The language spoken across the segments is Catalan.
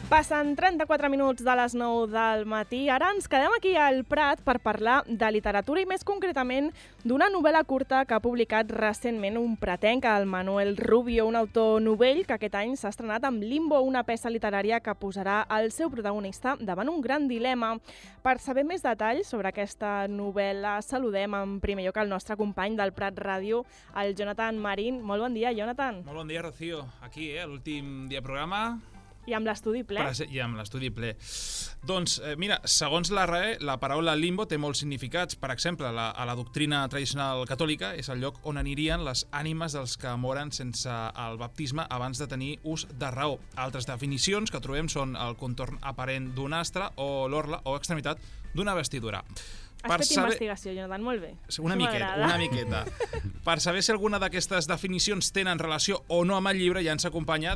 Passen 34 minuts de les 9 del matí. Ara ens quedem aquí al Prat per parlar de literatura i més concretament d'una novel·la curta que ha publicat recentment un pratenc, el Manuel Rubio, un autor novell que aquest any s'ha estrenat amb Limbo, una peça literària que posarà el seu protagonista davant un gran dilema. Per saber més detalls sobre aquesta novel·la, saludem en primer lloc el nostre company del Prat Ràdio, el Jonathan Marín. Molt bon dia, Jonathan. Molt bon dia, Rocío. Aquí, l'últim dia de programa. I amb l'estudi ple. I amb l'estudi ple. Doncs, mira, segons la RAE, la paraula limbo té molts significats. Per exemple, a la doctrina tradicional catòlica és el lloc on anirien les ànimes dels que moren sense el baptisme abans de tenir ús de raó. Altres definicions que trobem són el contorn aparent d'un astre o l'orla o extremitat d'una vestidura. Has fet investigació, Jonathan, molt bé. Una miqueta. Per saber si alguna d'aquestes definicions tenen relació o no amb el llibre, ja ens acompanya,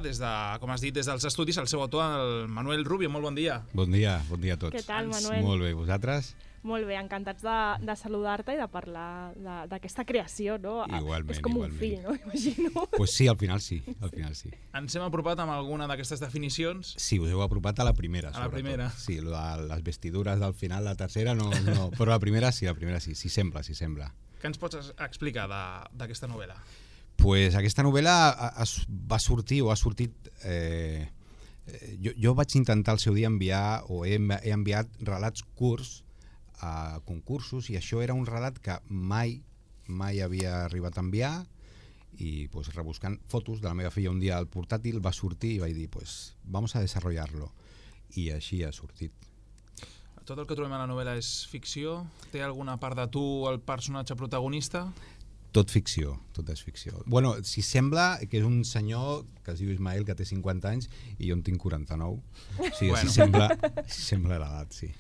com has dit, des dels estudis, el seu autor, el Manuel Rubio. Molt bon dia. Bon dia a tots. Què tal, Manuel? Molt bé, vosaltres? Molt bé, encantats de saludar-te i de parlar d'aquesta creació, no? Igualment. És com un fill, no? Imagino. Pues sí, al final sí. Ens hem apropat amb alguna d'aquestes definicions? Sí, us heu apropat a la primera, sobretot. A la primera? Sí, les vestidures del final, la tercera no, però la primera sí, sí sembla. Què ens pots explicar d'aquesta novel·la? Pues aquesta novel·la ha sortit... Jo vaig intentar al seu dia enviar, o he enviat relats curts a concursos, i això era un relat que mai havia arribat a enviar, i pues, rebuscant fotos de la meva filla un dia al portàtil va sortir i vaig dir, pues, vamos a desarrollarlo, i així ha sortit. Tot el que trobem a la novel·la és ficció? Té alguna part de tu el personatge protagonista? Tot ficció, tot és ficció. Bueno, si sembla que és un senyor que es diu Ismael, que té 50 anys, i jo en tinc 49. O sigui, si sembla l'edat, sí.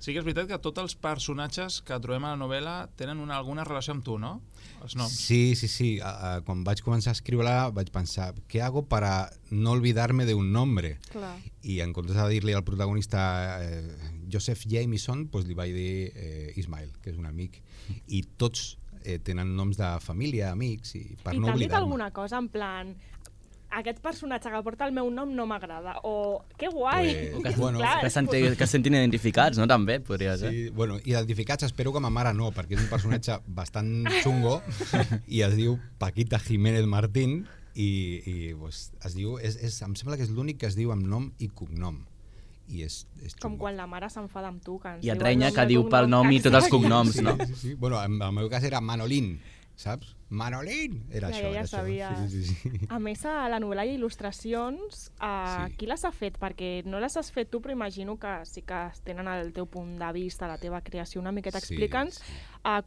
Sí que és veritat que tots els personatges que trobem a la novel·la tenen alguna relació amb tu, no? Els noms. Sí. Quan vaig començar a escriure-la vaig pensar, ¿qué hago para no olvidarme de un nombre? Clar. I en comptes de dir-li al protagonista Joseph Jameson, pues li vaig dir Ismael, que és un amic. I tots tenen noms de família, amics, i per no oblidar-me. I t'han dit alguna cosa en plan... Aquest personatge que porta el meu nom no m'agrada, o que guai! Que es sentin identificats, no? També, podria ser. Sí, bueno, identificats espero que ma mare no, perquè és un personatge bastant xungo i es diu Paquita Jiménez Martín i pues, es diu, em sembla que és l'únic que es diu amb nom i cognom. I és xungo. Com quan la mare s'enfada amb tu, que ens I et renya que diu pel nom i tots els cognoms, no? Sí. Bueno, en el meu cas era Manolín, saps? Manolín! Era això. Ja sabia. Sí. A més, a la novel·la hi ha il·lustracions. Qui les ha fet? Perquè no les has fet tu, però imagino que sí que tenen el teu punt de vista, la teva creació una miqueta. Explica'ns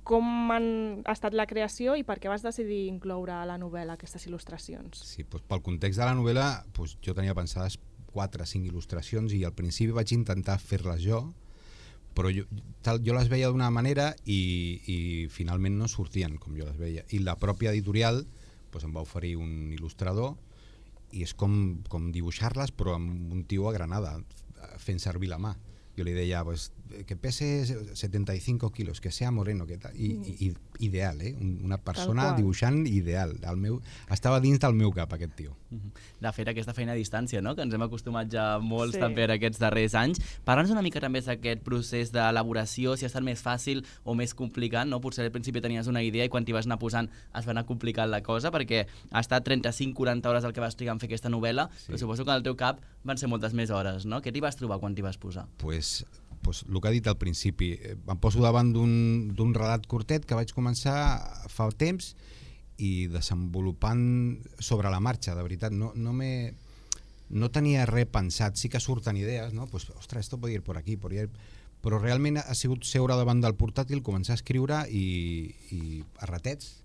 com ha estat la creació i per què vas decidir incloure a la novel·la aquestes il·lustracions. Sí, doncs pel context de la novel·la jo tenia pensades 4 o 5 il·lustracions i al principi vaig intentar fer-les jo, però jo les veia d'una manera i finalment no sortien com jo les veia. I la pròpia editorial em va oferir un il·lustrador i és com dibuixar-les però amb un tio a Granada, fent servir la mà. Jo li deia que pese 75 quilos, que sea moreno, que tal. I ideal, una persona dibuixant ideal. Estava dins del meu cap, aquest tio. De fet, aquesta feina a distància, no? Que ens hem acostumat ja molts també en aquests darrers anys. Parla'ns una mica també d'aquest procés d'elaboració, si ha estat més fàcil o més complicat, no? Potser al principi tenies una idea i quan t'hi vas anar posant es va anar complicant la cosa, perquè ha estat 35-40 hores el que vas trigar en fer aquesta novel·la, però suposo que al teu cap van ser moltes més hores, no? Què t'hi vas trobar quan t'hi vas posar? Pues el que ha dit al principi, em poso davant d'un relat curtet que vaig començar fa temps i desenvolupant sobre la marxa, de veritat, no tenia res pensat, sí que surten idees, no? Pues, ostres, esto puede ir por aquí, però realment ha sigut seure davant del portàtil, començar a escriure i a ratets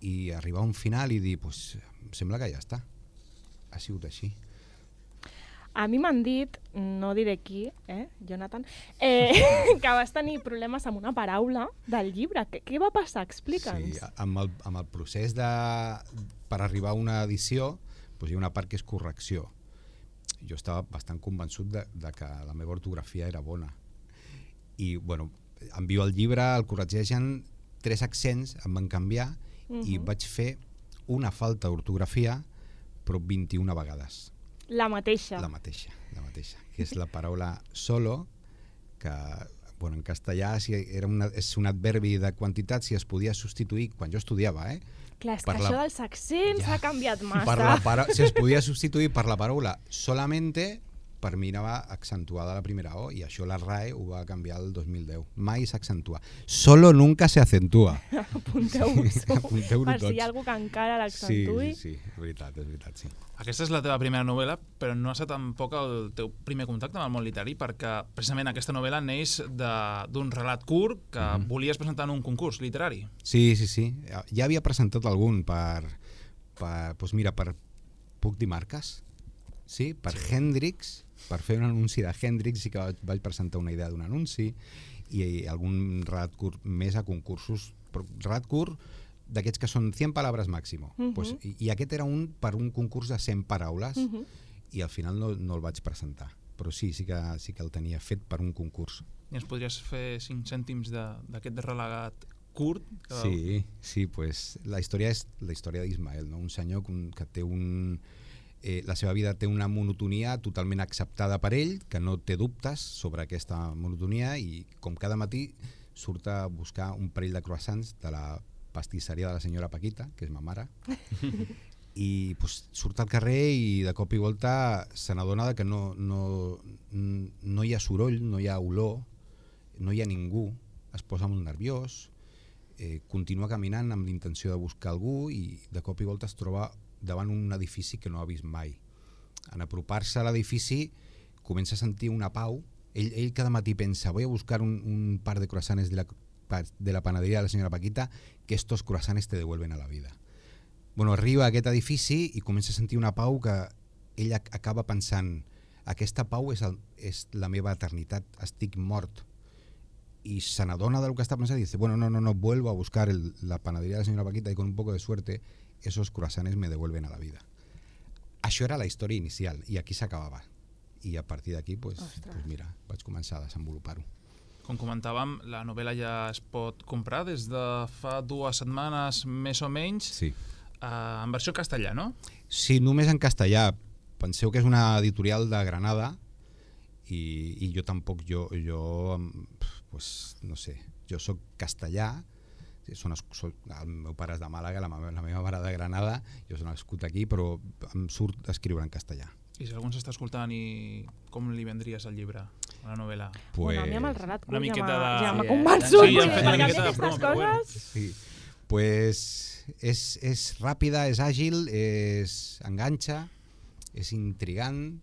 i arribar a un final i dir, pues, sembla que ja està, ha sigut així. A mi m'han dit, no diré qui, Jonathan, que vas tenir problemes amb una paraula del llibre. Què va passar? Explica'ns. Sí, amb el procés per arribar a una edició hi ha una part que és correcció. Jo estava bastant convençut de que la meva ortografia era bona. I, bueno, envio el llibre, el corregeixen, 3 accents em van canviar i vaig fer una falta d'ortografia, però 21 vegades. La mateixa. La mateixa, que és la paraula solo, que en castellà és un adverbi de quantitat, si es podia substituir, quan jo estudiava, Clar, és que això dels accents ha canviat massa. Si es podia substituir per la paraula solamente, per mi anava accentuada la primera O, i això la RAE ho va canviar el 2010. Mai s'accentua. Solo nunca se acentúa. Apunteu-vos-ho. Apunteu-ho Per si tots. hi ha algú que encara l'accentui. Sí, és veritat, sí. Aquesta és la teva primera novel·la, però no ha estat tampoc el teu primer contacte amb el món literari, perquè precisament aquesta novel·la neix d'un relat curt que volies presentar en un concurs literari. Sí. Ja havia presentat algun puc dir marques? Sí, per Hendrix, per fer un anunci de Hendrix, sí que vaig presentar una idea d'un anunci i algun relat curt més a concursos, però relat curt d'aquests que són 100 paraules màximo. I aquest era per un concurs de 100 paraules i al final no el vaig presentar, però sí que el tenia fet per un concurs. I ens podries fer 5 cèntims d'aquest relat curt? Sí, pues la història és la història d'Ismael, no? Un senyor que té la seva vida té una monotonia totalment acceptada per ell, que no té dubtes sobre aquesta monotonia, i com cada matí surt a buscar un parell de croissants de la pastisseria de la senyora Paquita, que és ma mare, i surt al carrer i de cop i volta se n'adona que no hi ha soroll, no hi ha olor, no hi ha ningú, es posa molt nerviós, continua caminant amb l'intenció de buscar algú i de cop i volta es troba davant un edifici que no ha vist mai. En apropar-se a l'edifici comença a sentir una pau. Ell cada matí pensa, voy a buscar un par de croissants de la panadería de la senyora Paquita, que estos croissants te devuelven a la vida. Arriba a aquest edifici i comença a sentir una pau que ell acaba pensant, aquesta pau és la meva eternitat, estic mort. Y se n'adona del que està pensant i dice, no, vuelvo a buscar la panadería de la senyora Paquita y con un poco de suerte esos croissants me devuelven a la vida. Això era la història inicial i aquí s'acabava. I a partir d'aquí, mira, vaig començar a desenvolupar-ho. Com comentàvem, la novel·la ja es pot comprar des de fa 2 setmanes, més o menys, sí. En versió castellà, no? Sí, només en castellà. Penseu que és una editorial de Granada i jo tampoc, no sé, jo soc castellà, el meu pare és de Màlaga, la meva mare de Granada, jo soc nascut aquí, però em surt escriure en castellà. I si algú s'està escoltant, com li vendries el llibre, la novel·la? A mi amb el relat una miqueta ja m'ha convençut. Sí, han fet una miqueta de promo, però bueno. Sí, és ràpida, és àgil, enganxa, és intrigant,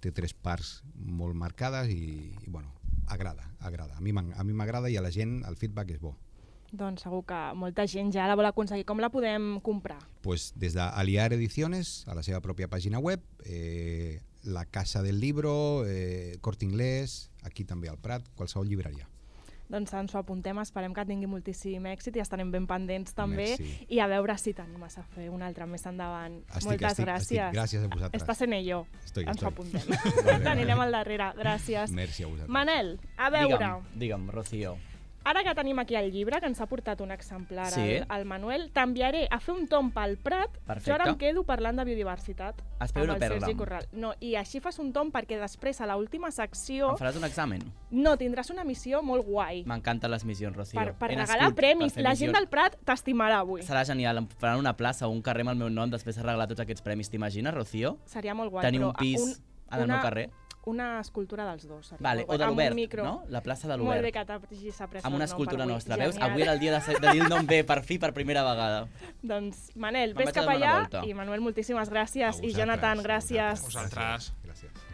té 3 parts molt marcades i agrada. A mi m'agrada i a la gent el feedback és bo. Doncs segur que molta gent ja la vol aconseguir. Com la podem comprar? Des d'Aliar Ediciones, a la seva pròpia pàgina web, la Casa del Libro, Corte Inglés, aquí també al Prat, qualsevol llibreria. Doncs ens ho apuntem, esperem que tingui moltíssim èxit i estarem ben pendents també. Merci. I a veure si t'animes a fer un altre més endavant. Moltes gràcies. Gràcies a vosaltres. Estàs en ello. Ens ho apuntem. Vale. T'anirem al darrere. Gràcies. Merci a vosaltres. Manel, a veure. Digue'm, Rocío. Ara que tenim aquí el llibre, que ens ha portat un exemplar al Manuel, t'enviaré a fer un tomb pel Prat. Perfecte. Jo ara em quedo parlant de biodiversitat. Espero no perdre'm. No, i així fas un tomb perquè després, a l'última secció... Em faràs un examen? No, tindràs una missió molt guai. M'encanten les missions, Rocío. Per regalar premis. La gent del Prat t'estimarà avui. Serà genial. Em faran una plaça o un carrer amb el meu nom després de regalar tots aquests premis. T'imagines, Rocío? Seria molt guai. Tenir un pis al meu carrer? Una escultura dels dos. Vale, o de l'Obert, no? La plaça de l'Obert. Molt bé que t'hagis après amb una escultura nostra, veus? Avui era el dia de dir el nom bé, per fi, per primera vegada. Doncs, Manel, ves cap allà. I Manuel, moltíssimes gràcies. I Jonathan, gràcies. A vosaltres. Gràcies.